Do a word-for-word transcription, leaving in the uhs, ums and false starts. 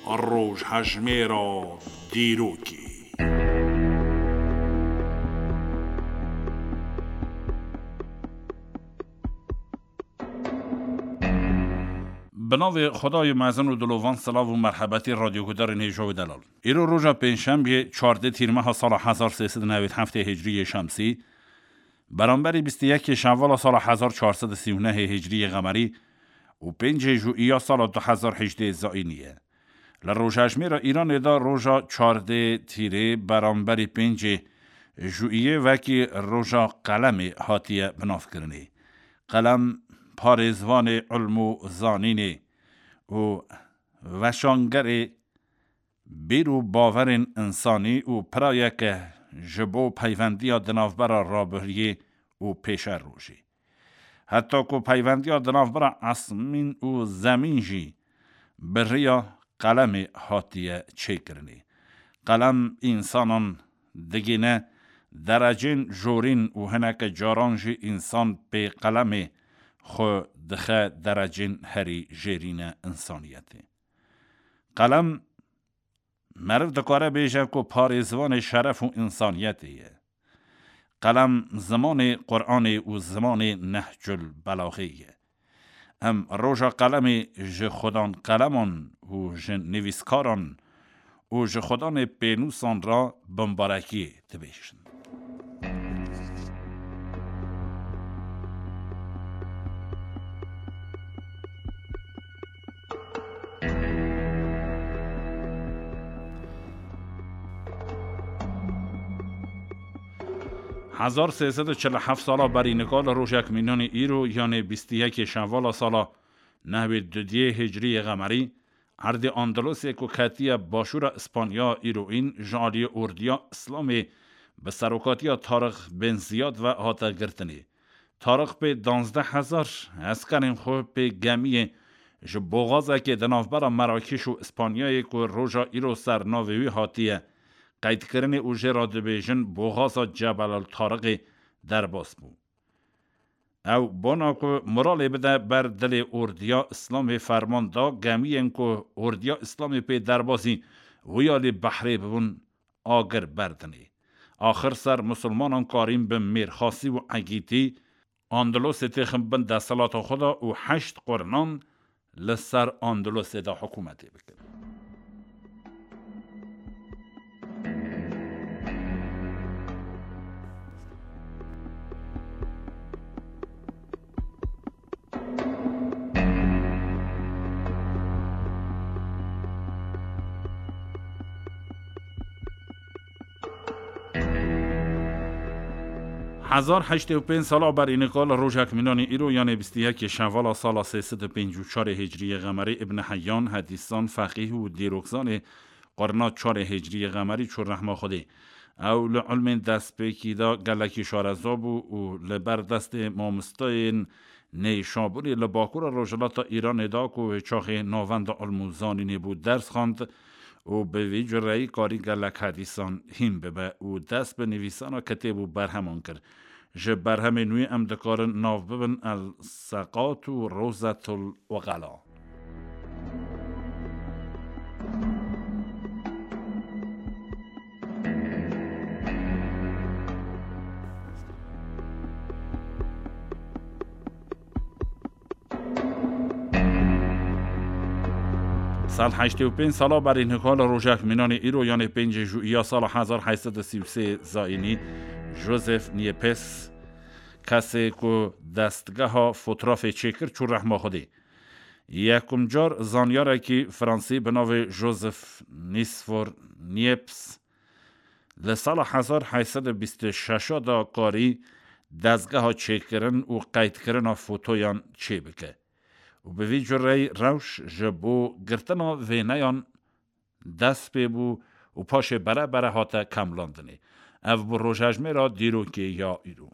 Rojhejmêra dîrokê. Bi navê Xwedayê mezin û dilovan silav û merhebetî radyogudarên hêja û delal. Îro roja pêncşembiyê çardê tîrmeha sala hezar sê sed û newêd heftê hicriyê şemsî, beramberî bîst û yekê şevala sala hezar çar sed û sî û nehê hicriyê qemerî û pêncê jûiya sala du hezar hejdê zayînî ye. Li rojhejmêra Îranê de roja çardê tîrê beramberî pêncê jûiyê wekî roja qelemê hatiye binavkirinê. Qelem parêzvanê ilm û zanînê û weşangerê bîr û bawerên însanî û pirayeke ji bo peyvendiya di navbera rabiriyê û pêşerojê. Heta ku peyvendiya di navbera esmîn û zemîn jî bi riya qelemê hatiye çêkirinê. Qelem însanan digîne derecên jorîn û hineke caran jî însan pê qelemê xwe dixe derecên herî jêrîne însaniyetê. Qelem meriv dikare bêje ku parêzvanê şeref û însaniyetê ye. Qelem zimanê Quranê û zimanê Nehcul Belaxê ye. Em roja qelemê ji xudan qeleman û ji nivîskaran û ji xudanê pênûsan re bimbarekiyê dibêjin. Hezar sê sed û çil û heft sala berî nika li rojek mînanî îro, yanê bîst û yekê şevala sala nehwê dudiyê hicriyê qemerî, erdê Andalûsê ku ketiye başûra Îspanya îroîn, ji aliyê ordiya Îslamê bi serokatiya Tarix bin Ziyad ve hate girtinê. Tarix pê danzdeh hezar eskerên xwe pê gemiyê ji boxazekê di navbera Merakîş û Îspanyayê ku roja îro ser navê wî hatiye qeydkirinê û jê re dibêjin boxaza Cebel el Tariqê derbas bû. Ew bona ku moralê bide ber dilê ordiya Îslamê ferman da gemiyên ku ordiya Îslamê pê derbasî wî alî behrê bibûn agir berdinê. Axir ser misilmanan karîn bi mêrxasî û egîtî Andalûsê têxin bin desthilata xwe de û heşt qurnan li ser Andalûsê de hikûmetê bikin. Hezar heştê û pênc sala berî nika li rojek mînanî îro, yanê bîst û yekê şevala sala sê sed û pêncî û çarê hicriyê qemerî, Ibn Heyyan, hedîsan, feqîh û dîrokzanê qurna çarê hicriyê qemerî çû rehma Xwedê. Ew li ilmên destpêkî de gelekî şareza bû û li ber destê mamosteyên Neyşabûrê li bakura rojhilata Îranê de ku wê çaxê navenda ilm û zanînê bû ders xwend û bi vî cureyî karî gelek hedîsan hîn bibe û dest bi nivîsana kitêb û berheman kir. Ji berhemên wî em dikarin nav bibin El Seqat û Rozetul Uqela. Sal heştê û pênc sala berî nika li rojek mînanê îro, yanê pêncê jûiya sala hezar heşt sed û sî û sê zayînî, Joseph Niepce, kesê ku destgeha fotrafê çêkir, çû rehma Xwedê. Yekum car zanyarekî Fransî bi navê Joseph Nisfor Niepce li sala hezar heşt sed û bîst û şeş de karî dezgeha çêkirin û qeydkirina fotoyan çêbike û bi vî cureyî rewş ji bo girtina wêneyan dest pê bû û paşê bere bere hate kemlandinê. Ev bû rojhejmêra dîrokê ya îro.